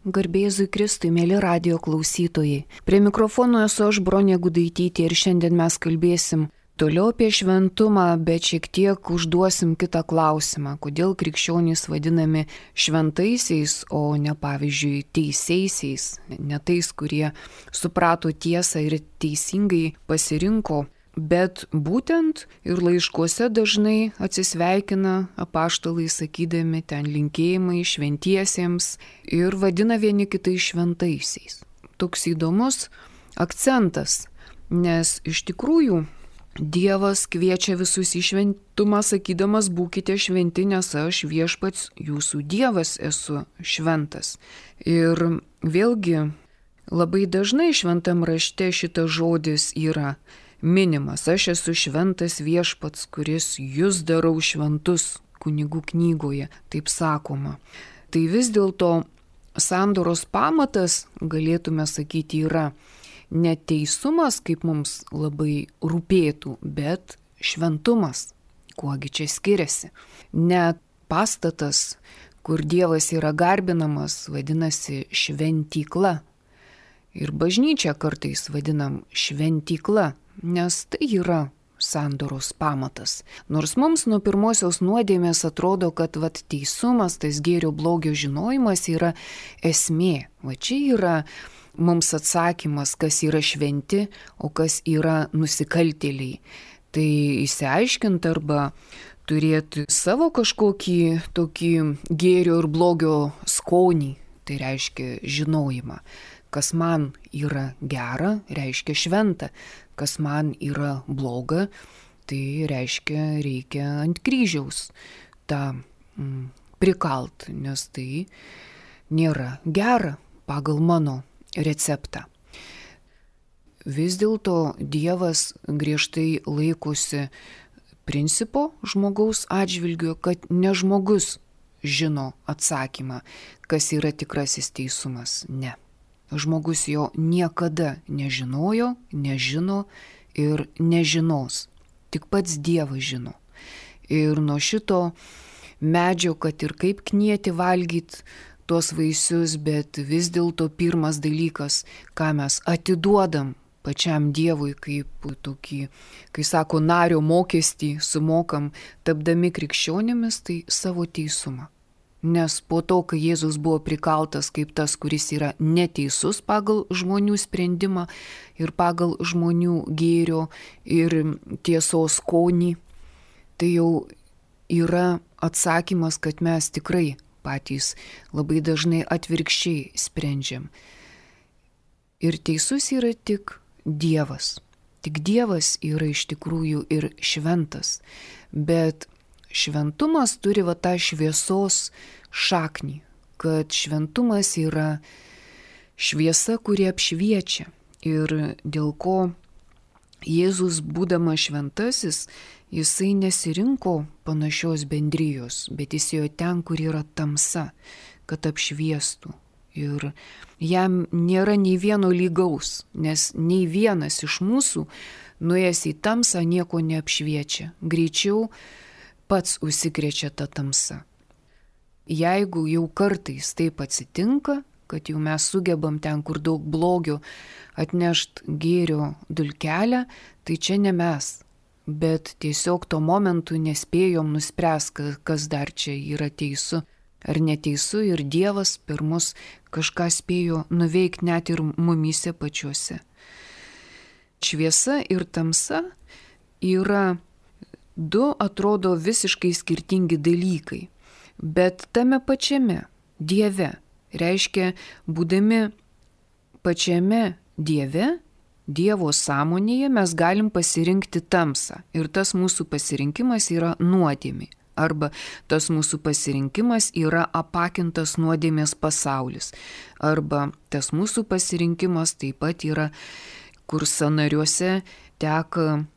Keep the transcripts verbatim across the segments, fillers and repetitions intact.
Garbėzui Kristui, mėly radijo klausytojai. Prie mikrofono esu aš, Bronė Gudaitytė, ir šiandien mes kalbėsim toliau apie šventumą, bet šiek tiek užduosim kitą klausimą. Kodėl krikščionys vadinami šventaisiais, o ne pavyzdžiui teisėisiais, ne tais, kurie suprato tiesą ir teisingai pasirinko. Bet būtent ir laiškuose dažnai atsisveikina apaštalai sakydami ten linkėjimai šventiesiems ir vadina vieni kitais šventaisiais. Toks įdomus akcentas, nes iš tikrųjų Dievas kviečia visus į šventumą sakydamas būkite šventi, nes aš viešpats jūsų Dievas esu šventas. Ir vėlgi labai dažnai šventam rašte šitas žodis yra minimas, aš esu šventas viešpats, kuris jūs darau šventus, kunigų knygoje, taip sakoma. Tai vis dėlto sandoros pamatas, galėtume sakyti, yra ne teisumas, kaip mums labai rūpėtų, bet šventumas, kuogi čia skiriasi. Ne pastatas, kur Dievas yra garbinamas, vadinasi šventykla. Ir bažnyčią kartais vadinam šventykla, nes tai yra sandoros pamatas. Nors mums nuo pirmosios nuodėmės atrodo, kad vat, teisumas, tas gėrio blogio žinojimas yra esmė. Va čia yra mums atsakymas, kas yra šventi, o kas yra nusikaltėliai. Tai įsiaiškint arba turėti savo kažkokį tokį gėrio ir blogio skonį, tai reiškia žinojimą. Kas man yra gera, reiškia šventa. Kas man yra bloga, tai reiškia reikia ant kryžiaus tą mm, prikalt, nes tai nėra gera pagal mano receptą. Vis dėlto Dievas griežtai laikosi principo žmogaus atžvilgiu, kad ne žmogus žino atsakymą, kas yra tikrasis teisumas, ne. Žmogus jo niekada nežinojo, nežino ir nežinos. Tik pats Dievas žino. Ir nuo šito medžio, kad ir kaip knieti valgyti tuos vaisius, bet vis dėlto pirmas dalykas, ką mes atiduodam pačiam Dievui kaip tokį, kai sako, nario mokestį sumokam, tapdami krikščionimis, tai savo teisumą. Nes po to, kai Jėzus buvo prikaltas kaip tas, kuris yra neteisus pagal žmonių sprendimą ir pagal žmonių gėrio ir tiesos skonį, tai jau yra atsakymas, kad mes tikrai patys labai dažnai atvirkščiai sprendžiam. Ir teisus yra tik Dievas. Tik Dievas yra iš tikrųjų ir šventas. Bet šventumas turi va tą šviesos šaknį, kad šventumas yra šviesa, kuri apšviečia. Ir dėl ko Jėzus, būdamas šventasis, jisai nesirinko panašios bendrijos, bet jis ėjo ten, kur yra tamsa, kad apšviestų. Ir jam nėra nei vieno lygaus, nes nei vienas iš mūsų, nuėjęs į tamsą, nieko neapšviečia. Greičiau pats užsikrečia tą tamsą. Jeigu jau kartais taip atsitinka, kad jau mes sugebam ten, kur daug blogio, atnešt gėrio dulkelę, tai čia ne mes. Bet tiesiog tuo momentu nespėjom nuspręsti, kas dar čia yra teisu ar neteisu, ir Dievas per mus kažką spėjo nuveikti net ir mumyse pačiuose. Šviesa ir tamsa yra du, atrodo, visiškai skirtingi dalykai, bet tame pačiame Dieve, reiškia, būdami pačiame Dieve, Dievo sąmonėje mes galim pasirinkti tamsą, ir tas mūsų pasirinkimas yra nuodėmė, arba tas mūsų pasirinkimas yra apakintas nuodėmės pasaulis, arba tas mūsų pasirinkimas taip pat yra, kur sąnariuose teka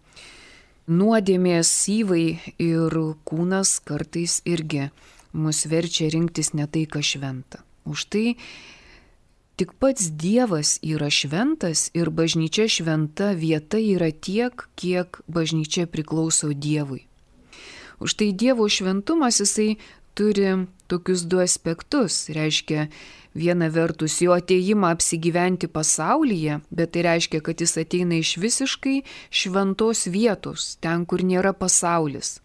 nuodėmės syvai ir kūnas kartais irgi mus verčia rinktis ne tai, kas šventa. Už tai tik pats Dievas yra šventas ir bažnyčia šventa vieta yra tiek, kiek bažnyčia priklauso Dievui. Už tai Dievo šventumas jisai turi tokius du aspektus. Reiškia, viena vertus jo ateimą apsigyventi pasaulyje, bet tai reiškia, kad jis ateina iš visiškai šventos vietos, ten, kur nėra pasaulis.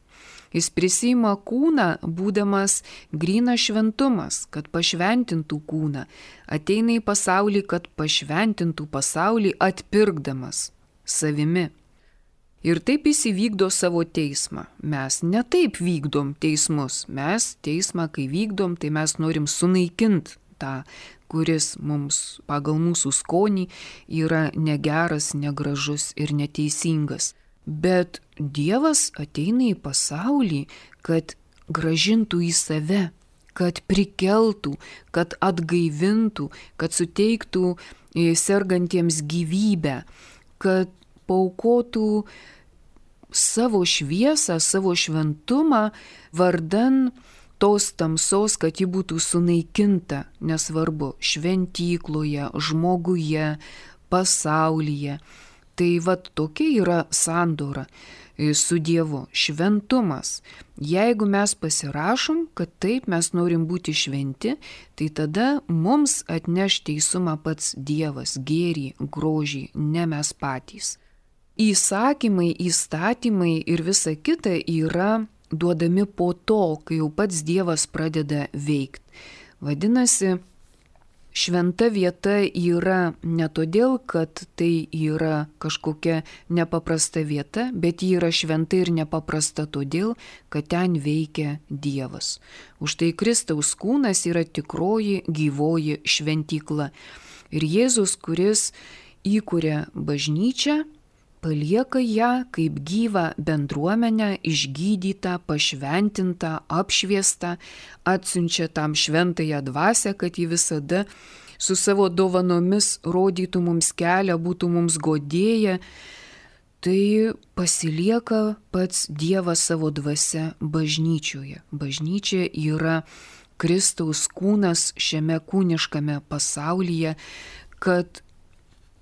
Jis prisima kūną, būdamas grynas šventumas, kad pašventintų kūną. Ateina į pasaulį, kad pašventintų pasaulį, atpirkdamas savimi. Ir taip jis įvykdo savo teismą. Mes ne taip vykdom teismus. Mes teismą, kai vykdom, tai mes norim sunaikinti tą, kuris mums pagal mūsų skonį yra negeras, negražus ir neteisingas. Bet Dievas ateina į pasaulį, kad grąžintų į save, kad prikeltų, kad atgaivintų, kad suteiktų sergantiems gyvybę, kad paaukotų savo šviesą, savo šventumą vardan tos tamsos, kad ji būtų sunaikinta, nesvarbu, šventykloje, žmoguje, pasaulyje. Tai vat tokia yra sandora su Dievu, šventumas. Jeigu mes pasirašom, kad taip mes norim būti šventi, tai tada mums atneš teisumą pats Dievas, gėrį, grožį, ne mes patys. Įsakymai, įstatymai ir visa kita yra duodami po to, kai jau pats Dievas pradeda veikti. Vadinasi, šventa vieta yra ne todėl, kad tai yra kažkokia nepaprasta vieta, bet ji yra šventa ir nepaprasta todėl, kad ten veikia Dievas. Už tai Kristaus kūnas yra tikroji gyvoji šventykla. Ir Jėzus, kuris įkuria bažnyčią, palieka ją kaip gyvą bendruomenę, išgydytą, pašventintą, apšviestą, atsiunčia tam šventąją dvasią, kad ji visada su savo dovanomis rodytų mums kelią, būtų mums godėja. Tai pasilieka pats Dievas savo dvasia bažnyčioje. Bažnyčia yra Kristaus kūnas šiame kūniškame pasaulyje, kad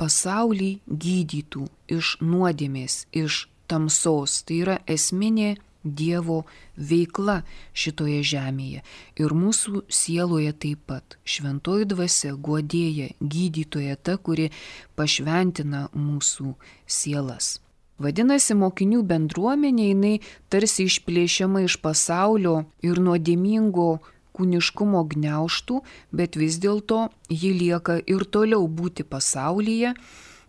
pasaulį gydytų iš nuodėmės, iš tamsos. Tai yra esminė Dievo veikla šitoje žemėje. Ir mūsų sieloje taip pat. Šventoji dvasia, guodėja, gydytoja, ta, kuri pašventina mūsų sielas. Vadinasi, mokinių bendruomenė, jinai tarsi išplėšiama iš pasaulio ir nuodėmingo kūniškumo gniaužtų, bet vis dėlto ji lieka ir toliau būti pasaulyje.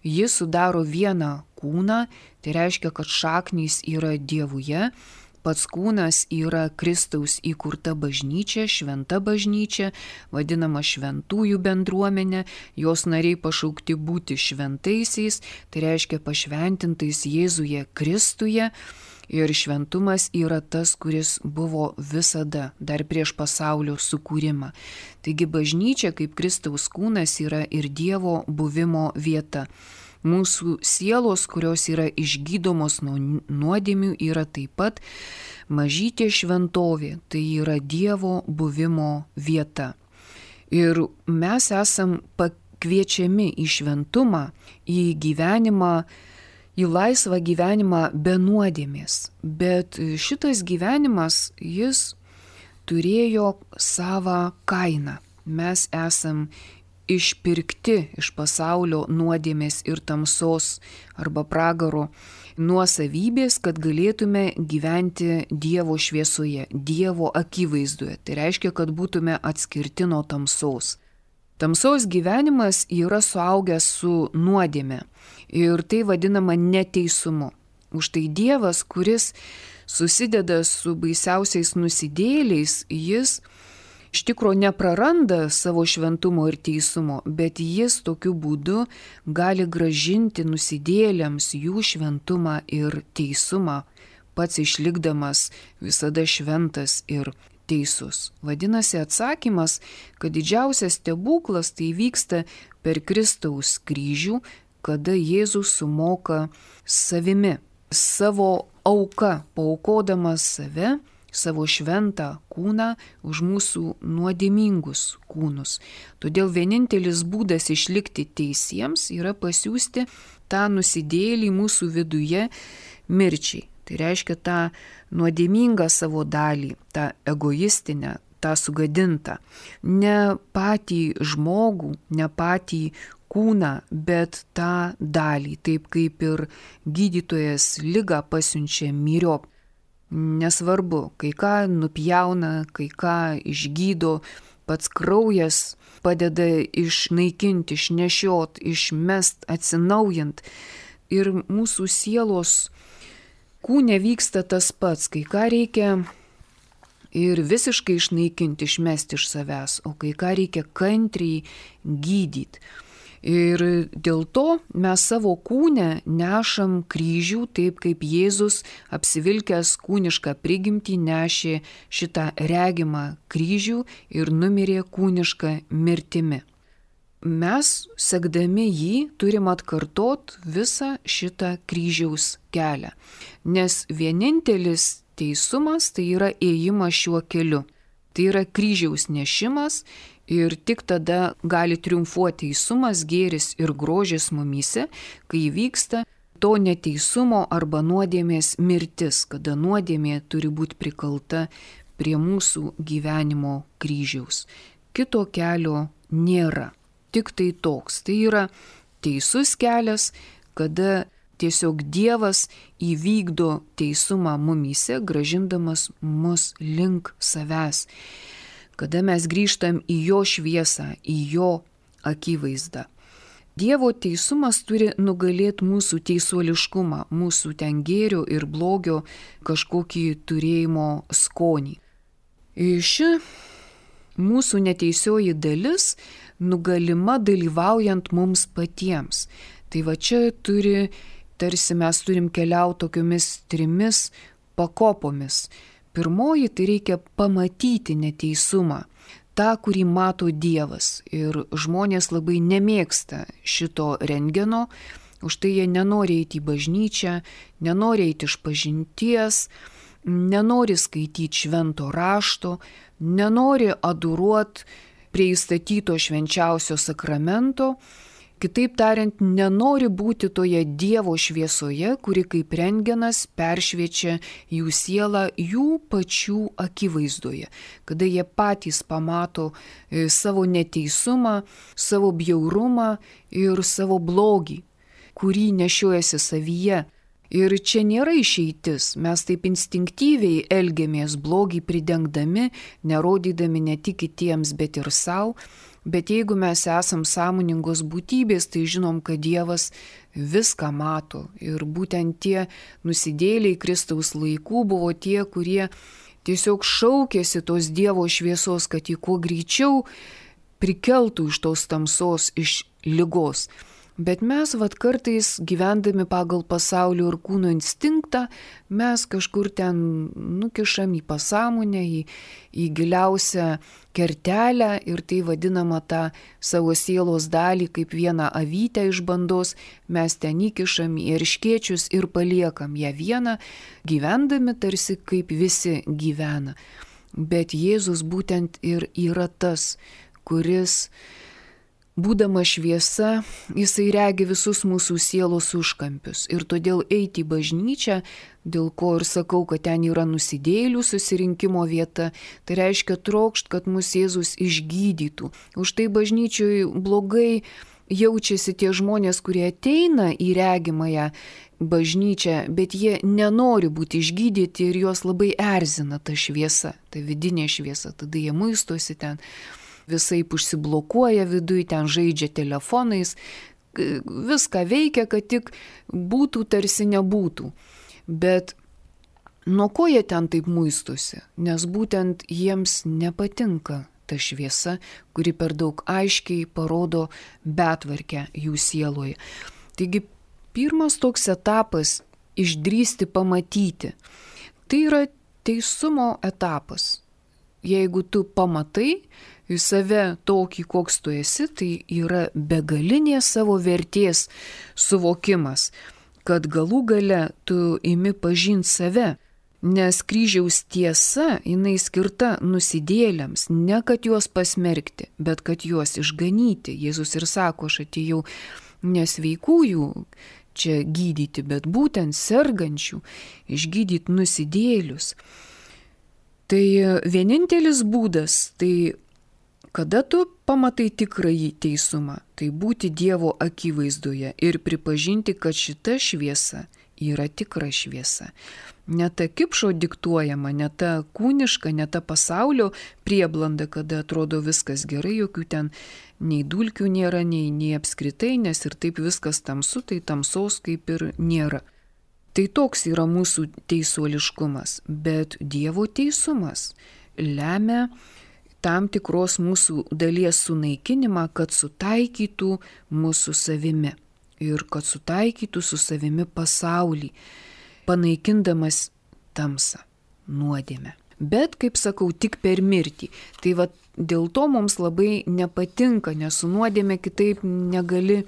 Ji sudaro vieną kūną, tai reiškia, kad šaknys yra Dievuje, pats kūnas yra Kristaus įkurta bažnyčia, šventa bažnyčia, vadinama šventųjų bendruomenė, jos nariai pašaukti būti šventaisiais, tai reiškia pašventintais Jėzuje Kristuje. Ir šventumas yra tas, kuris buvo visada, dar prieš pasaulio sukūrimą. Taigi bažnyčia kaip Kristaus kūnas yra ir Dievo buvimo vieta. Mūsų sielos, kurios yra išgydomos nuo nuodėmių, yra taip pat mažytė šventovė, tai yra Dievo buvimo vieta. Ir mes esam pakviečiami į šventumą, į gyvenimą, į laisvą gyvenimą be nuodėmės, bet šitas gyvenimas, jis turėjo savą kainą. Mes esam išpirkti iš pasaulio nuodėmės ir tamsos arba pragaro nuosavybės, kad galėtume gyventi Dievo šviesoje, Dievo akivaizdoje. Tai reiškia, kad būtume atskirti nuo tamsos. Tamsos gyvenimas yra suaugęs su nuodėme ir tai vadinama neteisumu. Už tai Dievas, kuris susideda su baisiausiais nusidėjėliais, jis iš tikrųjų nepraranda savo šventumo ir teisumo, bet jis tokiu būdu gali gražinti nusidėjėliams jų šventumą ir teisumą, pats išlikdamas visada šventas ir teisus. Vadinasi, atsakymas, kad didžiausias stebuklas tai vyksta per Kristaus kryžių, kada Jėzus sumoka savimi, savo auka, paaukodamas save, savo šventą kūną už mūsų nuodėmingus kūnus. Todėl vienintelis būdas išlikti teisiems yra pasiųsti tą nusidėjėlį mūsų viduje mirčiai. Tai reiškia tą nuodėmingą savo dalį, tą egoistinę, tą sugadintą. Ne patį žmogų, ne patį kūną, bet tą dalį, taip kaip ir gydytojas ligą pasiunčia myriop. Nesvarbu, kai ką nupjauna, kai ką išgydo, pats kraujas padeda išnaikinti, išnešiot, išmest, atsinaujint. Ir mūsų sielos kūne vyksta tas pats, kai ką reikia ir visiškai išnaikinti, išmesti iš savęs, o kai ką reikia kantriai gydyti. Ir dėl to mes savo kūne nešam kryžių, taip kaip Jėzus apsivilkęs kūnišką prigimtį nešė šitą regimą kryžių ir numirė kūnišką mirtimi. Mes, sekdami jį, turim atkartot visą šitą kryžiaus kelią, nes vienintelis teisumas tai yra ėjimas šiuo keliu. Tai yra kryžiaus nešimas ir tik tada gali triumfuoti teisumas, gėris ir grožis mumyse, kai vyksta to neteisumo arba nuodėmės mirtis, kada nuodėmė turi būti prikalta prie mūsų gyvenimo kryžiaus. Kito kelio nėra, tik tai toks. Tai yra teisus kelias, kada tiesiog Dievas įvykdo teisumą mumyse, gražindamas mus link savęs. Kada mes grįžtam į jo šviesą, į jo akivaizdą. Dievo teisumas turi nugalėti mūsų teisuoliškumą, mūsų ten gėrio ir blogio kažkokį turėjimo skonį. Ši mūsų neteisioji dalis nugalima dalyvaujant mums patiems. Tai va čia turi, tarsi mes turim keliauti tokiomis trimis pakopomis. Pirmoji, tai reikia pamatyti neteisumą, tą, kurį mato Dievas. Ir žmonės labai nemėgsta šito rentgeno, už tai jie nenori eiti į bažnyčią, nenori eiti iš pažinties, nenori skaityti švento rašto, nenori adoruoti prie įstatyto švenčiausio sakramento. Kitaip tariant, nenori būti toje Dievo šviesoje, kuri kaip rentgenas peršviečia jų sielą jų pačių akivaizdoje, kada jie patys pamato savo neteisumą, savo bjaurumą ir savo blogį, kurį nešiojasi savyje. Ir čia nėra išeitis, mes taip instinktyviai elgiamės blogį pridengdami, nerodydami ne tik kitiems, bet ir savo. Bet jeigu mes esam sąmoningos būtybės, tai žinom, kad Dievas viską mato. Ir būtent tie nusidėliai Kristaus laikų buvo tie, kurie tiesiog šaukėsi tos Dievo šviesos, kad jį kuo greičiau prikeltų iš tos tamsos, iš ligos. Bet mes vat kartais gyvendami pagal pasaulio ir kūno instinktą, mes kažkur ten nukišam į pasąmonę, į, į giliausią kertelę ir tai vadinama tą savo sielos dalį kaip vieną avytę iš bandos, mes ten įkišam į erškėčius ir paliekam ją vieną, gyvendami tarsi kaip visi gyvena. Bet Jėzus būtent ir yra tas, kuris būdamas šviesa, jisai regi visus mūsų sielos užkampius. Ir todėl eiti į bažnyčią, dėl ko ir sakau, kad ten yra nusidėjėlių susirinkimo vieta, tai reiškia trokšt, kad mus Jėzus išgydytų. Už tai bažnyčioj blogai jaučiasi tie žmonės, kurie ateina į regimąją bažnyčią, bet jie nenori būti išgydyti ir juos labai erzina ta šviesa, ta vidinė šviesa. Tada jie muistosi ten, visaip užsiblokuoja viduj, ten žaidžia telefonais, viską veikia, kad tik būtų tarsi nebūtų. Bet nuo ko jie ten taip muistosi? Nes būtent jiems nepatinka ta šviesa, kuri per daug aiškiai parodo betvarkę jų sieloje. Taigi pirmas toks etapas – išdrįsti pamatyti. Tai yra teisumo etapas. Jeigu tu pamatai į save tokį, koks tu esi, tai yra begalinė savo vertės suvokimas, kad galų gale tu imi pažinti save, nes kryžiaus tiesa, jinai skirta nusidėlėms, ne kad juos pasmerkti, bet kad juos išganyti. Jėzus ir sako, aš atėjau nesveikųjų čia gydyti, bet būtent sergančių, išgydyti nusidėjėlius. Tai vienintelis būdas, tai kada tu pamatai tikrąjį teisumą, tai būti Dievo akivaizdoje ir pripažinti, kad šita šviesa yra tikra šviesa. Ne ta kipšo diktuojama, ne ta kūniška, ne ta pasaulio prieblanda, kada atrodo viskas gerai, jokių ten nei dulkių nėra, nei, nei apskritai, nes ir taip viskas tamsu, tai tamsaus kaip ir nėra. Tai toks yra mūsų teisuoliškumas, bet Dievo teisumas lemia tam tikros mūsų dalies sunaikinimą, kad sutaikytų mūsų savimi ir kad sutaikytų su savimi pasaulį, panaikindamas tamsą, nuodėmę. Bet, kaip sakau, tik per mirtį. Tai va dėl to mums labai nepatinka, nes su nuodėme kitaip negali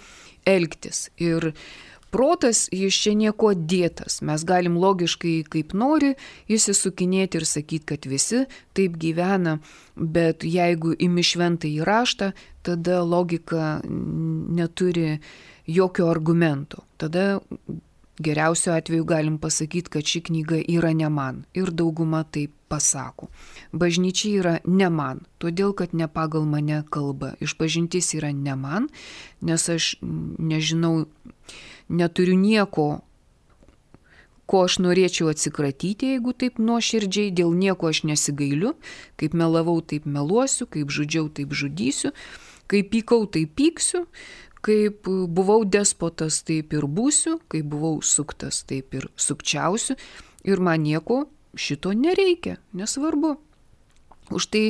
elgtis. Ir protas, jis čia nieko dėtas. Mes galim logiškai kaip nori įsisukinėti ir sakyti, kad visi taip gyvena, bet jeigu imi šventąjį raštą, tada logika neturi jokio argumento. Tada geriausiu atveju galim pasakyti, kad ši knyga yra ne man. Ir dauguma taip pasako. Bažnyčia yra ne man, todėl kad ne pagal mane kalba. Išpažintis yra ne man, nes aš nežinau, neturiu nieko, ko aš norėčiau atsikratyti, jeigu taip nuoširdžiai, dėl nieko aš nesigailiu, kaip melavau, taip meluosiu, kaip žudžiau, taip žudysiu, kaip pykau, taip pyksiu, kaip buvau despotas, taip ir būsiu, kaip buvau suktas, taip ir sukčiausiu, ir man nieko šito nereikia, nesvarbu. Už tai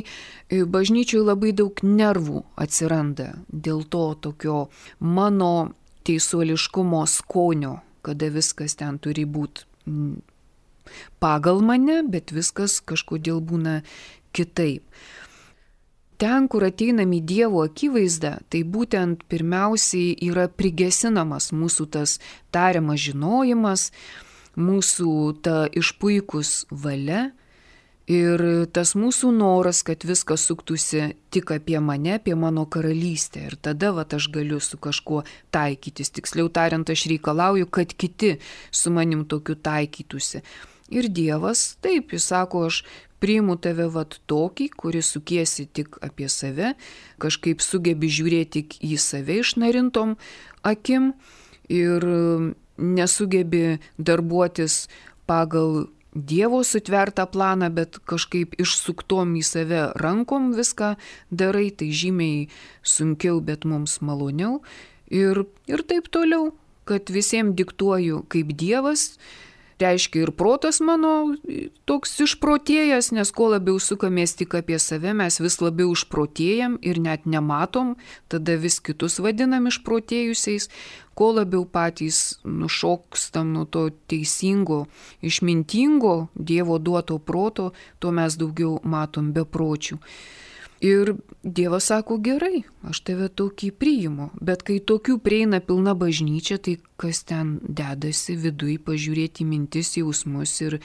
bažnyčioj labai daug nervų atsiranda dėl to tokio mano teisuoliškumo skonio, kada viskas ten turi būti pagal mane, bet viskas kažkodėl būna kitaip. Ten, kur ateinam į Dievo akivaizdą, tai būtent pirmiausiai yra prigesinamas mūsų tas tariamas žinojimas, mūsų ta išpuikus valia ir tas mūsų noras, kad viskas suktųsi tik apie mane, apie mano karalystę. Ir tada vat, aš galiu su kažkuo taikytis. Tiksliau tariant, aš reikalauju, kad kiti su manim tokiu taikytųsi. Ir Dievas, taip, jis sako, aš priimu tave vat tokį, kuris sukiesi tik apie save, kažkaip sugebi žiūrėti tik į save išnarintom akim ir nesugebi darbuotis pagal Dievo sutvertą planą, bet kažkaip išsuktom į save rankom viską darai, tai žymiai sunkiau, bet mums maloniau. Ir, ir taip toliau, kad visiems diktuoju kaip Dievas. Reiškia ir protas mano toks išprotėjęs, nes kuo labiau sukamės tik apie save, mes vis labiau išprotėjam ir net nematom, tada vis kitus vadinam išprotėjusiais, kuo labiau patys nušokstam nuo to teisingo, išmintingo Dievo duoto proto, tuo mes daugiau matom bepročių. Ir Dievas sako, gerai, aš tave tokį priimu, bet kai tokių prieina pilna bažnyčia, tai kas ten dedasi viduj, pažiūrėti mintis, jausmus ir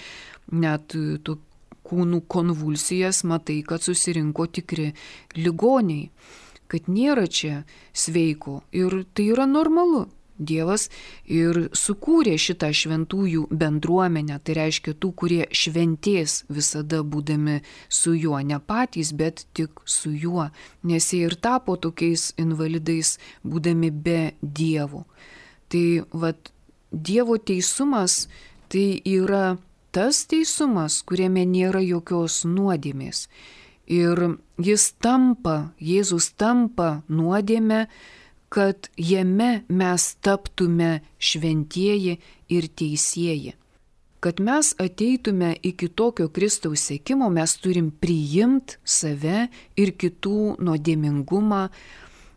net to kūnų konvulsijas, matai, kad susirinko tikri ligoniai, kad nėra čia sveiko ir tai yra normalu. Dievas ir sukūrė šitą šventųjų bendruomenę, tai reiškia tų, kurie šventės visada būdami su juo, ne patys, bet tik su juo, nes jie ir tapo tokiais invalidais būdami be Dievo. Tai vat, Dievo teisumas tai yra tas teisumas, kuriame nėra jokios nuodėmės. Ir jis tampa, Jėzus tampa nuodėmę, kad jame mes taptume šventieji ir teisieji. Kad mes ateitume iki tokio Kristaus sekimo, mes turim priimti save ir kitų nuodėmingumą,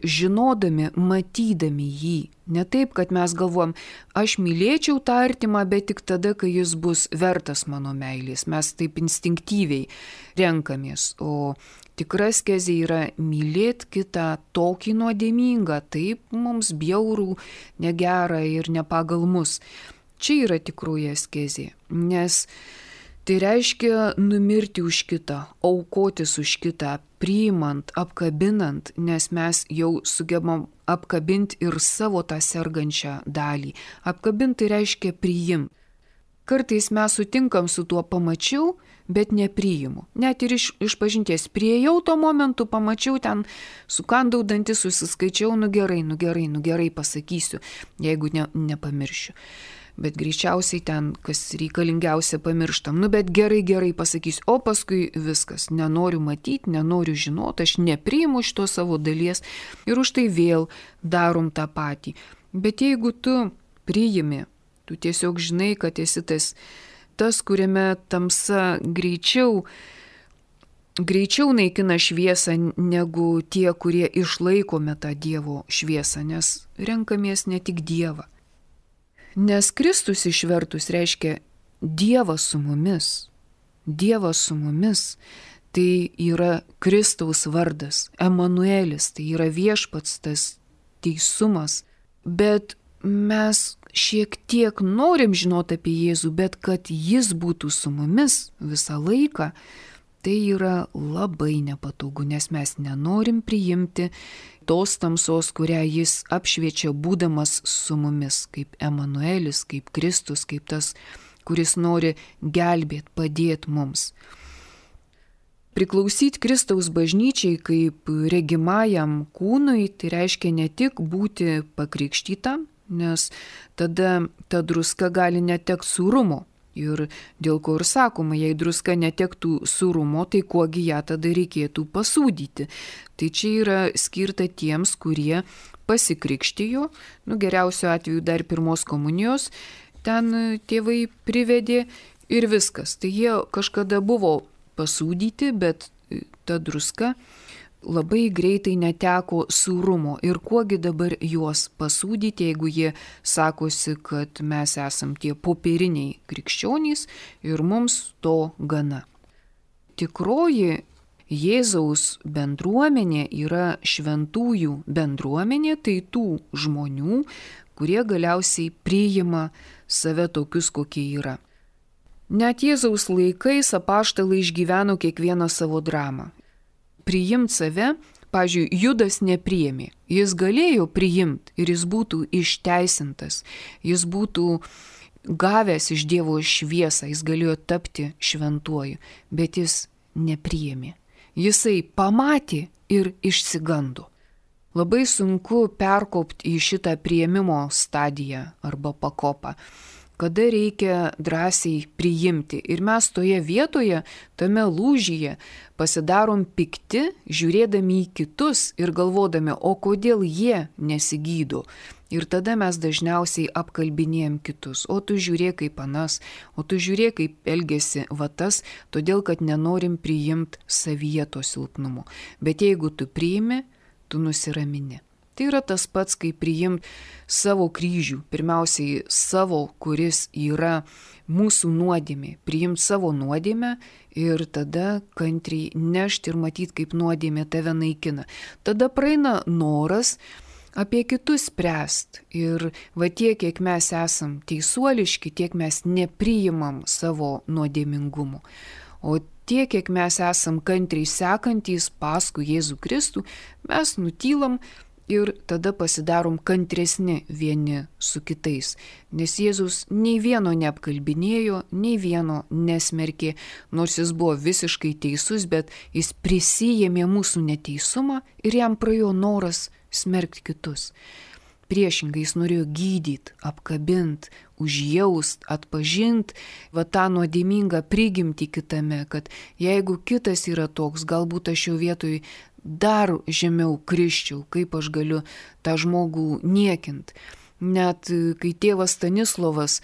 žinodami, matydami jį. Ne taip, kad mes galvom, aš mylėčiau tą artimą, bet tik tada, kai jis bus vertas mano meilės. Mes taip instinktyviai renkamės, o tikra askezė yra mylėti kitą tokį nuodėmingą, taip mums bjaurų, negerą ir ne pagal mus. Čia yra tikroji askezė, nes Tai reiškia numirti už kitą, aukotis už kitą, priimant, apkabinant, nes mes jau sugebam apkabinti ir savo tą sergančią dalį. Apkabinti reiškia priimti. Kartais mes sutinkam su tuo pamačiau, bet nepriimu. Net ir iš, iš pažinties priejau to momentu, pamačiau ten, sukandau dantis, susiskaičiau, nu gerai, nu gerai, nu gerai pasakysiu, jeigu ne, nepamiršiu. Bet greičiausiai ten, kas reikalingiausia, pamirštam. Nu, bet gerai, gerai pasakysiu. O paskui viskas. Nenoriu matyti, nenoriu žinoti, aš nepriimu šito savo dalies ir už tai vėl darom tą patį. Bet jeigu tu priimi, tu tiesiog žinai, kad esi tas, tas kuriame tamsa greičiau, greičiau naikina šviesą negu tie, kurie išlaikome tą Dievo šviesą, nes renkamės ne tik Dievą. Nes Kristus išvertus reiškia Dievas su mumis. Dievas su mumis tai yra Kristaus vardas, Emanuelis, tai yra viešpats, tas teisumas. Bet mes šiek tiek norim žinoti apie Jėzų, bet kad Jis būtų su mumis visą laiką, tai yra labai nepatogu, nes mes nenorim priimti tos tamsos, kurią Jis apšviečia būdamas su mumis, kaip Emanuelis, kaip Kristus, kaip tas, kuris nori gelbėti, padėti mums. Priklausyti Kristaus bažnyčiai kaip regimajam kūnui, tai reiškia ne tik būti pakrikštytam, nes tada ta druska gali netekti sūrumo. Ir dėl ko ir sakoma, jei druska netektų sūrumo, tai kuogi ją tada reikėtų pasūdyti. Tai čia yra skirta tiems, kurie pasikrikštijo, nu geriausiu atveju dar pirmos komunijos, ten tėvai privedė ir viskas. Tai jie kažkada buvo pasūdyti, bet ta druska labai greitai neteko sūrumo. Ir kuogi dabar juos pasūdyti, jeigu jie sakosi, kad mes esam tie popieriniai krikščionys ir mums to gana. Tikroji Jėzaus bendruomenė yra šventųjų bendruomenė, tai tų žmonių, kurie galiausiai priima save tokius, kokie yra. Net Jėzaus laikais apaštalai išgyveno kiekvieną savo dramą. Priimti save, pavyzdžiui, Judas nepriėmė. Jis galėjo priimti ir jis būtų išteisintas, jis būtų gavęs iš Dievo šviesą, jis galėjo tapti šventuoju, bet jis nepriėmė. Jisai pamatė ir išsigando. Labai sunku perkopti į šitą priėmimo stadiją arba pakopą, kada reikia drąsiai priimti. Ir mes toje vietoje, tame lūžyje pasidarom pikti, žiūrėdami į kitus ir galvodami, o kodėl jie nesigydo. Ir tada mes dažniausiai apkalbinėjom kitus. O tu žiūrėk kaip anas, o tu žiūrėk kaip elgesi vatas, todėl kad nenorim priimti savyje to silpnumo. Bet jeigu tu priimi, tu nusiramini. Tai yra tas pats, kaip priimti savo kryžių, pirmiausiai savo, kuris yra mūsų nuodėmė, priimti savo nuodėmę ir tada kantriai nešti ir matyti, kaip nuodėmė tave naikina. Tada praeina noras apie kitus spręsti ir va tiek, kiek mes esam teisuoliški, tiek mes nepriimam savo nuodėmingumo. O tiek, kiek mes esam kantriai sekantys paskui Jėzų Kristų, mes nutylam ir tada pasidarom kantresni vieni su kitais, nes Jėzus nei vieno neapkalbinėjo, nei vieno nesmerkė, nors jis buvo visiškai teisus, bet jis prisijėmė mūsų neteisumą ir jam praėjo noras smerkti kitus. Priešingai jis norėjo gydyti, apkabinti, užjaust, atpažinti va tą nuodėmingą prigimtį kitame, kad jeigu kitas yra toks, galbūt aš jo vietoj dar žemiau krisčiau, kaip aš galiu tą žmogų niekint. Net kai tėvas Stanislovas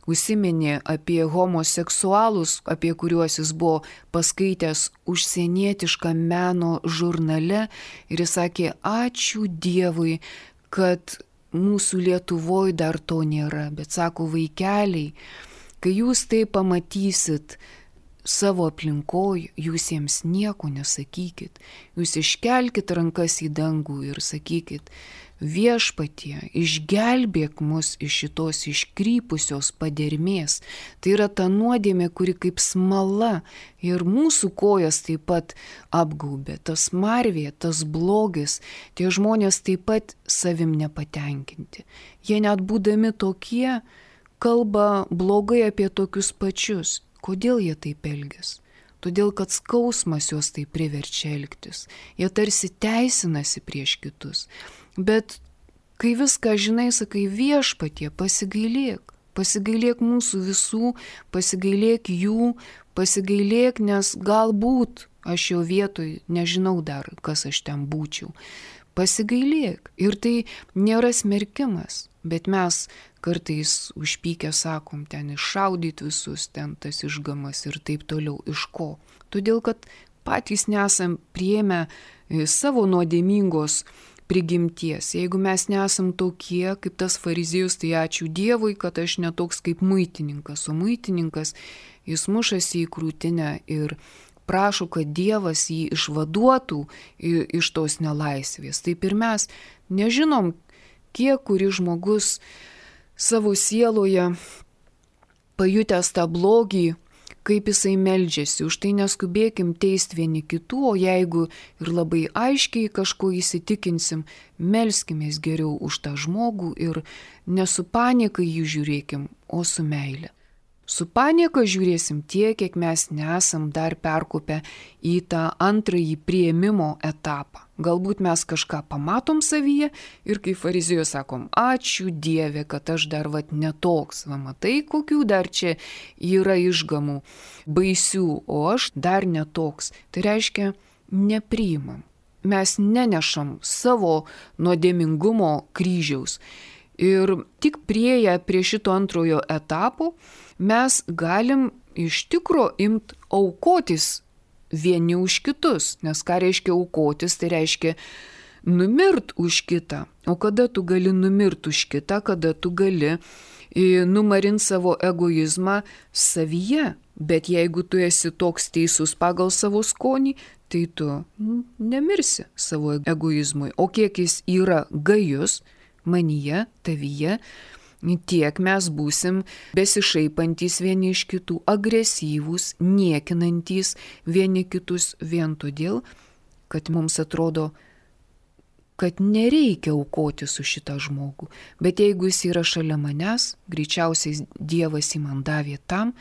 užsiminė apie homoseksualus, apie kuriuos jis buvo paskaitęs užsienietišką meno žurnale, ir jis sakė, ačiū Dievui, kad mūsų Lietuvoje dar to nėra, bet sako, vaikeliai, kai jūs tai pamatysit savo aplinkoj, jūs jiems nieko nesakykit, jūs iškelkit rankas į dangų ir sakykit, Viešpatie, išgelbėk mus iš šitos iškrypusios padermės. Tai yra ta nuodėmė, kuri kaip smala ir mūsų kojas taip pat apgaubė. Tas marvė, tas blogis, tie žmonės taip pat savim nepatenkinti. Jie net būdami tokie kalba blogai apie tokius pačius. Kodėl jie taip elgiasi? Todėl, kad skausmas juos tai priverčia elgtis. Jie tarsi teisinasi prieš kitus. Bet kai viską žinai, sakai, Viešpatie, pasigailėk. Pasigailėk mūsų visų, pasigailėk jų, pasigailėk, nes galbūt aš jo vietoj nežinau dar, kas aš ten būčiau. Pasigailėk. Ir tai nėra smerkimas, bet mes kartais užpykę sakom, ten iššaudyti visus, ten tas išgamas ir taip toliau. Iš ko? Todėl, kad patys nesam priėmę savo nuodėmingos prigimties. Jeigu mes nesam tokie kaip tas fariziejus, tai ačiū Dievui, kad aš netoks kaip muitininkas. O muitininkas, jis mušasi į krūtinę ir prašo, kad Dievas jį išvaduotų iš tos nelaisvės. Taip ir mes nežinom, kiek kuri žmogus savo sieloje pajutęs tą blogį, kaip jisai meldžiasi. Už tai neskubėkim teisti vieni kitų, o jeigu ir labai aiškiai kažko įsitikinsim, melskimės geriau už tą žmogų ir ne su panieka jį žiūrėkim, o su meile. Su panieka žiūrėsim tiek, kiek mes nesam dar perkopę į tą antrąjį priėmimo etapą. Galbūt mes kažką pamatom savyje ir kaip fariziejus sakom, ačiū Dieve, kad aš dar vat netoks, va matai, kokių dar čia yra išgamų baisių, o aš dar netoks. Tai reiškia, nepriimam. Mes nenešam savo nuodėmingumo kryžiaus. Ir tik prieėję prie šito antrojo etapo, mes galim iš tikro imt aukotis vieni už kitus. Nes ką reiškia aukotis, tai reiškia numirt už kitą. O kada tu gali numirt už kitą, kada tu gali numarinti savo egoizmą savyje. Bet jeigu tu esi toks teisus pagal savo skonį, tai tu nemirsi savo egoizmui. O kiek jis yra gajus manyje, tavyje, tiek mes būsim besišaipantys vieni iš kitų, agresyvūs, niekinantys vieni kitus vien todėl, kad mums atrodo, kad nereikia aukoti su šitą žmogų. Bet jeigu jis yra šalia manęs, greičiausiai Dievas jį man davė tam,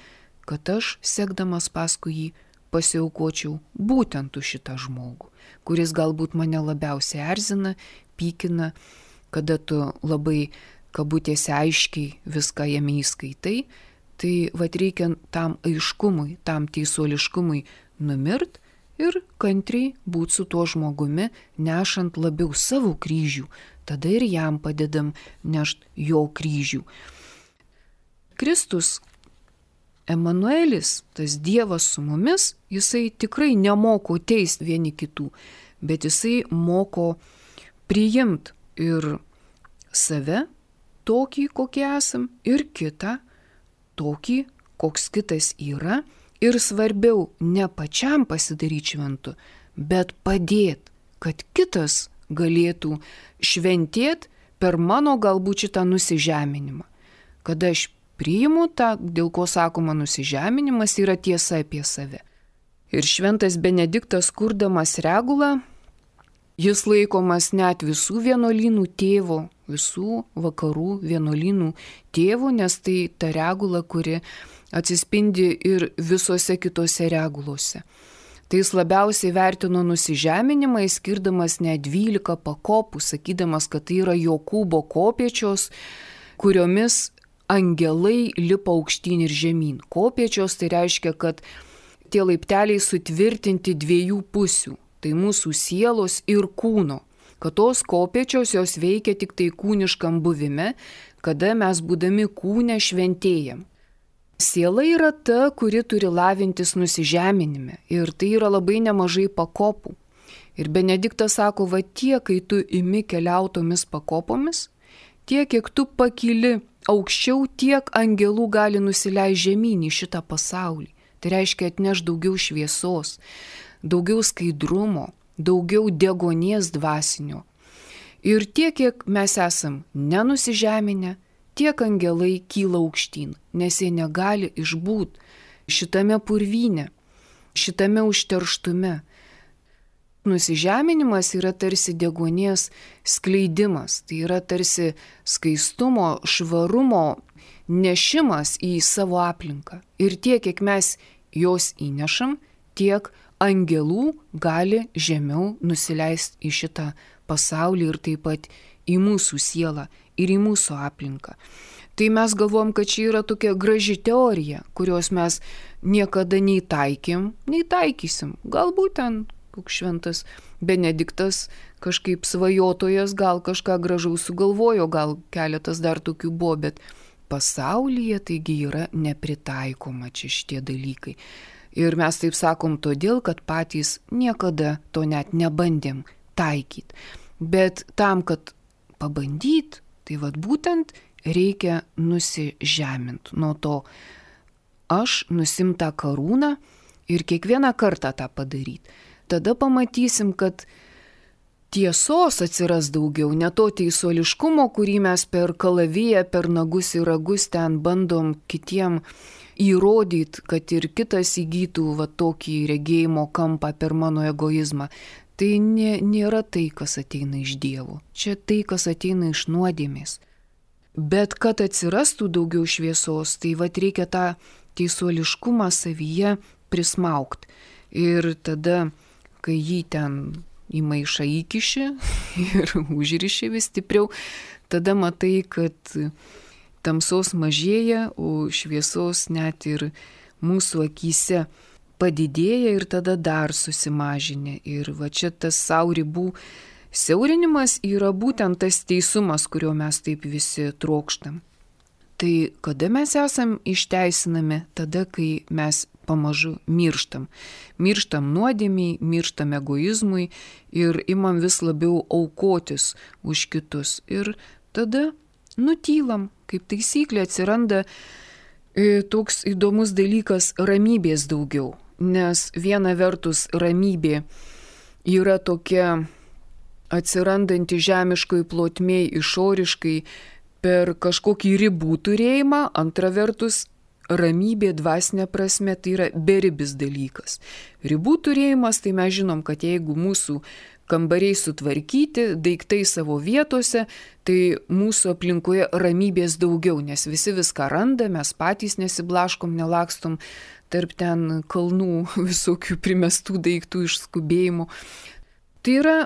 kad aš, sekdamas paskui jį, pasiaukočiau būtent už šitą žmogų, kuris galbūt mane labiausiai erzina, pykina, kada tu labai kabutėse aiškiai viską jame įskaitai, tai vat reikia tam aiškumui, tam teisuoliškumui numirt ir kantriai būti su tuo žmogumi, nešant labiau savo kryžių, tada ir jam padedam nešt jo kryžių. Kristus, Emanuelis, tas Dievas su mumis, jisai tikrai nemoko teisti vieni kitų, bet jisai moko priimti ir save, tokį, kokie esam, ir kitą, tokį, koks kitas yra, ir svarbiau ne pačiam pasidaryti šventu, bet padėti, kad kitas galėtų šventėti per mano galbūt šitą nusižeminimą. Kada aš priimu tą, dėl ko sakoma nusižeminimas, yra tiesa apie save. Ir šventas Benediktas, kurdamas regulą, jis laikomas net visų vienuolynų tėvo, visų vakarų vienuolynų tėvų, nes tai ta regula, kuri atsispindi ir visose kitose regulose. Tai jis labiausiai vertino nusižeminimą, skirdamas net dvylika pakopų, sakydamas, kad tai yra Jokūbo kopėčios, kuriomis angelai lipa aukštyn ir žemyn. Kopėčios tai reiškia, kad tie laipteliai sutvirtinti dviejų pusių. Tai mūsų sielos ir kūno, kad tos kopėčios jos veikia tik tai kūniškam buvime, kada mes būdami kūne šventėjam. Siela yra ta, kuri turi lavintis nusižeminime ir tai yra labai nemažai pakopų. Ir Benediktas sako, va tiek, kai tu imi keliautomis pakopomis, tiek, kiek tu pakyli aukščiau, tiek angelų gali nusileisti žemyn į šitą pasaulį. Tai reiškia atneš daugiau šviesos, daugiau skaidrumo, daugiau degonės dvasinio. Ir tiek, kiek mes esam nenusižeminę, tiek angelai kyla aukštyn, nes jie negali išbūt šitame purvyne, šitame užterštume. Nusižeminimas yra tarsi deguonies skleidimas, tai yra tarsi skaistumo, švarumo nešimas į savo aplinką. Ir tiek, kiek mes jos įnešam, tiek angelų gali žemiau nusileisti į šitą pasaulį ir taip pat į mūsų sielą ir į mūsų aplinką. Tai mes galvom, kad čia yra tokia graži teorija, kurios mes niekada nei taikėm, nei taikysim. Galbūt ten koks šventas Benediktas kažkaip svajotojas gal kažką gražaus sugalvojo, gal keletas dar tokių buvo, bet pasaulyje taigi yra nepritaikoma čia šitie dalykai. Ir mes taip sakom todėl, kad patys niekada to net nebandėm taikyti. Bet tam, kad pabandyt, tai vad būtent reikia nusižemint nuo to aš nusimt tą karūną ir kiekvieną kartą tą padaryti. Tada pamatysim, kad tiesos atsiras daugiau, ne to teisuoliškumo, kurį mes per kalaviją, per nagus ir ragus ten bandom kitiem įrodyti, kad ir kitas įgytų va tokį regėjimo kampą per mano egoizmą. Tai nė, nėra tai, kas ateina iš Dievo. Čia tai, kas ateina iš nuodėmės. Bet kad atsirastų daugiau šviesos, tai va reikia tą teisuoliškumą savyje prismaukti. Ir tada, kai jį ten į maišą įkiši ir užriši vis stipriau, tada matai, kad tamsos mažėja, o šviesos net ir mūsų akyse padidėja ir tada dar susimažinė. Ir va čia tas savo ribų siaurinimas yra būtent tas teisumas, kurio mes taip visi trokštam. Tai kada mes esam išteisinami? Tada, kai mes pamažu mirštam. Mirštam nuodėmiai, mirštam egoizmui ir imam vis labiau aukotis už kitus. Ir tada nutylam. Kaip taisyklė atsiranda e, toks įdomus dalykas ramybės daugiau. Nes viena vertus ramybė yra tokia atsirandanti žemiškoj plotmėj išoriškai per kažkokį ribų turėjimą, antra vertus ramybė dvasinė prasme tai yra beribis dalykas. Ribų turėjimas, tai mes žinom, kad jeigu mūsų kambariai sutvarkyti, daiktai savo vietose, tai mūsų aplinkoje ramybės daugiau, nes visi viską randa, mes patys nesiblaškom, nelakstom tarp ten kalnų visokių primestų daiktų iš skubėjimų. Tai yra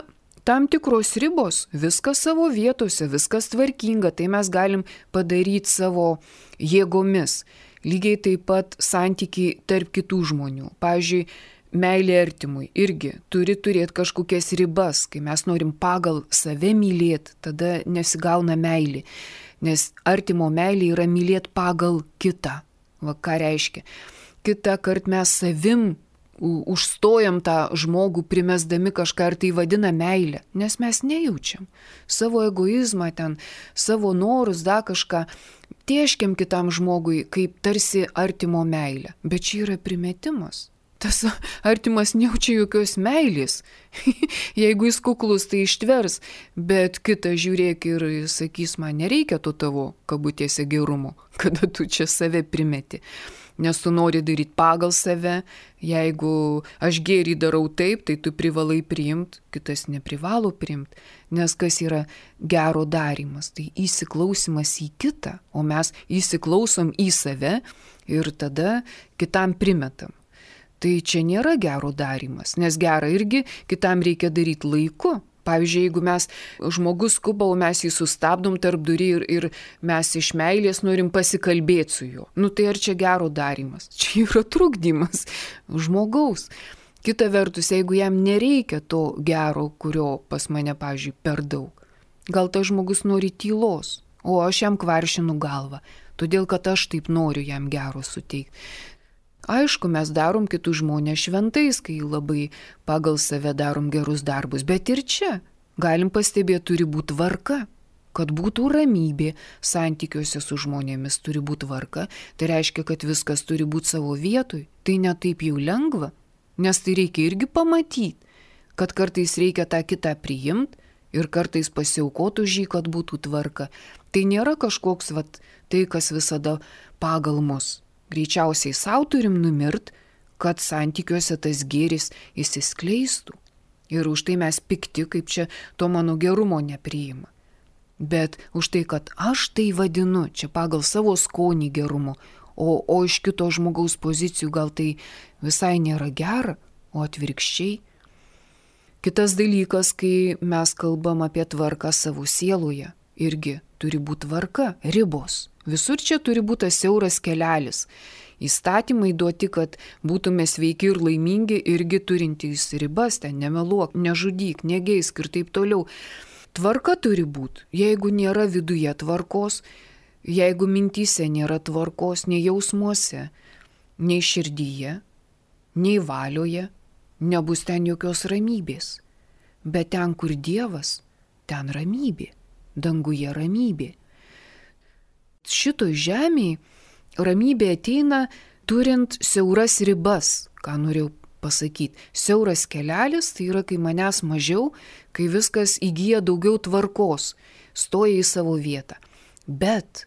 tam tikros ribos, viskas savo vietose, viskas tvarkinga, tai mes galim padaryti savo jėgomis. Lygiai taip pat santykiai tarp kitų žmonių. Pavyzdžiui, meilė artimui irgi turi turėti kažkokias ribas. Kai mes norim pagal save mylėti, tada nesigauna meilė. Nes artimo meilė yra mylėti pagal kitą. Va ką reiškia. Kitą kartą mes savim užstojam tą žmogų, primesdami kažką ir tai vadina meilę. Nes mes nejaučiam savo egoizmą ten, savo norus, da kažką. Tieškiam kitam žmogui kaip tarsi artimo meilę. Bet čia yra primetimas. Tas artimas nejaučia jokios meilės. Jeigu jis kuklus, tai ištvers. Bet kitas žiūrėk ir sakys, man nereikia to tavo kabutėse gerumo, kada tu čia save primeti. Nes tu nori daryti pagal save. Jeigu aš gėrį darau taip, tai tu privalai priimti, kitas neprivalo priimti. Nes kas yra gero darymas? Tai įsiklausimas į kitą, o mes įsiklausom į save ir tada kitam primetam. Tai čia nėra gero darymas, nes gerą irgi kitam reikia daryti laiku. Pavyzdžiui, jeigu mes žmogus skuba, o mes jį sustabdom tarp durį ir, ir mes iš meilės norim pasikalbėti su juo. Nu tai ar čia gero darymas? Čia yra trukdymas žmogaus. Kita vertus, jeigu jam nereikia to gero, kurio pas mane, pavyzdžiui, per daug. Gal tas žmogus nori tylos, o aš jam kvaršinu galvą, todėl kad aš taip noriu jam gero suteikti. Aišku, mes darom kitus žmonės šventais, kai labai pagal save darom gerus darbus, bet ir čia galim pastebėti, turi būti tvarka, kad būtų ramybė santykiuose su žmonėmis, turi būti tvarka, tai reiškia, kad viskas turi būti savo vietoj, tai ne taip jau lengva, nes tai reikia irgi pamatyti, kad kartais reikia tą kitą priimti ir kartais pasiaukot už jį, kad būtų tvarka. Tai nėra kažkoks vat, tai, kas visada pagal mus. Greičiausiai savo turim numirt, kad santykiuose tas gėris įsiskleistų. Ir už tai mes pikti, kaip čia to mano gerumo nepriima. Bet už tai, kad aš tai vadinu, čia pagal savo skonį gerumo, o, o iš kito žmogaus pozicijų gal tai visai nėra gera, o atvirkščiai. Kitas dalykas, kai mes kalbam apie tvarką savo sieloje, irgi turi būti tvarka, ribos. Visur čia turi būti siauras kelelis. Įstatymai duoti, kad būtume sveiki ir laimingi, irgi turintys ribas, ten nemeluok, nežudyk, negeisk ir taip toliau. Tvarka turi būti. Jeigu nėra viduje tvarkos, jeigu mintyse nėra tvarkos, nei jausmuose, nei širdyje, nei valioje, nebus ten jokios ramybės. Bet ten, kur Dievas, ten ramybė, danguje ramybė. Šitoj žemėje ramybė ateina turint siauras ribas, ką norėjau pasakyti. Siauras kelelis tai yra, kai manęs mažiau, kai viskas įgyja daugiau tvarkos, stoja į savo vietą. Bet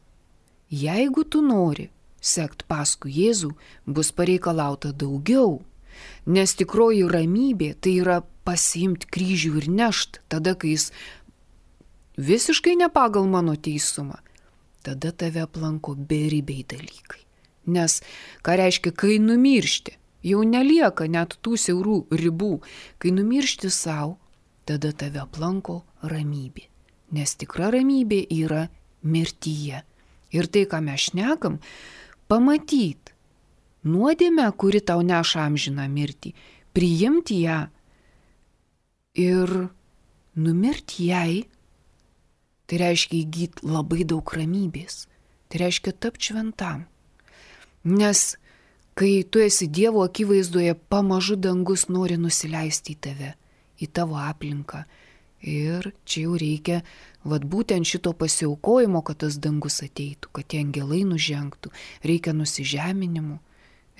jeigu tu nori sekt paskui Jėzų, bus pareikalauta daugiau. Nes tikroji ramybė tai yra pasiimti kryžių ir nešt, tada, kai jis visiškai ne pagal mano teisumą, tada tave aplanko beribiai dalykai. Nes ką reiškia, kai numiršti, jau nelieka net tų siaurų ribų. Kai numiršti savo, tada tave aplanko ramybė. Nes tikra ramybė yra mirtyje. Ir tai, ką mes šnekam, pamatyt nuodėmę, kuri tau neša amžiną mirtį, priimti ją ir numirti jai, tai reiškia įgyti labai daug ramybės. Tai reiškia tapti šventam. Nes kai tu esi Dievo akivaizdoje, pamažu dangus nori nusileisti į tave, į tavo aplinką. Ir čia jau reikia vat būtent šito pasiaukojimo, kad tas dangus ateitų, kad tie angelai nužengtų. Reikia nusižeminimų,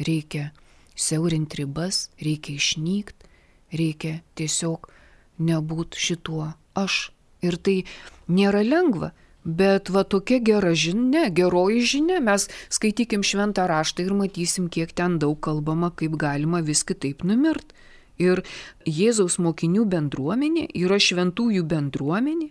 reikia siaurinti ribas, reikia išnykti, reikia tiesiog nebūti šituo aš. Ir tai nėra lengva, bet va tokia gera žinia, geroji žinia, mes skaitykim šventą raštą ir matysim, kiek ten daug kalbama, kaip galima vis kitaip numirt. Ir Jėzaus mokinių bendruomenė yra šventųjų bendruomenė,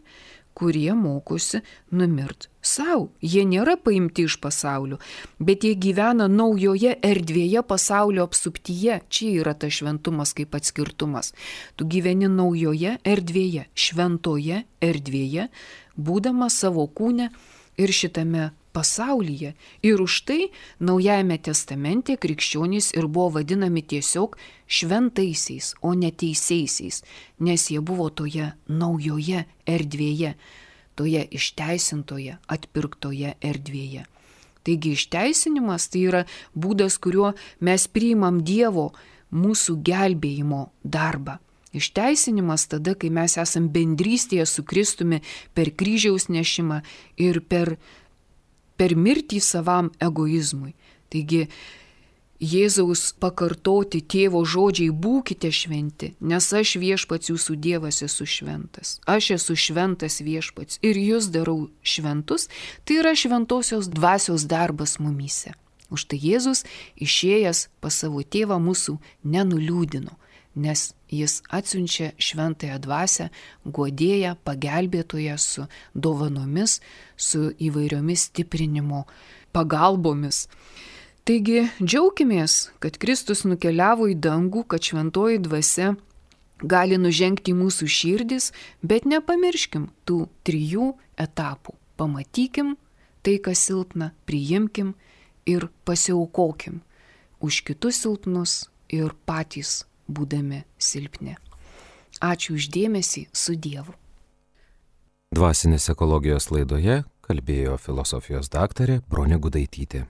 kurie mokosi numirt savo. Jie nėra paimti iš pasaulio, bet jie gyvena naujoje erdvėje pasaulio apsuptyje. Čia yra tas šventumas kaip atskirtumas. Tu gyveni naujoje erdvėje, šventoje erdvėje, būdamas savo kūne ir šitame pasaulyje. Ir už tai Naujajame testamente krikščionys ir buvo vadinami tiesiog šventaisiais, o ne teisiaisiais, nes jie buvo toje naujoje erdvėje, toje išteisintoje, atpirktoje erdvėje. Taigi išteisinimas tai yra būdas, kuriuo mes priimam Dievo mūsų gelbėjimo darbą. Išteisinimas tada, kai mes esam bendrystėje su Kristumi per kryžiaus nešimą ir per per mirtį savam egoizmui. Taigi Jėzaus pakartoti tėvo žodžiai būkite šventi, nes aš viešpats jūsų Dievas esu šventas. Aš esu šventas viešpats ir jūs darau šventus, tai yra šventosios dvasios darbas mumyse. Už tai Jėzus išėjęs pas savo tėvą mūsų nenuliūdino, nes jis atsiunčia šventąją dvasią, guodėją, pagelbėtoją su dovanomis, su įvairiomis stiprinimo pagalbomis. Taigi džiaukimės, kad Kristus nukeliavo į dangų, kad šventoji dvasia gali nužengti į mūsų širdis, bet nepamirškim tų trijų etapų. Pamatykim tai, kas silpna, priimkim ir pasiaukokim už kitus silpnus ir patys būdami silpni. Ačiū už dėmesį, su Dievu. Dvasinės ekologijos laidoje kalbėjo filosofijos daktarė Bronė Gudaitytė.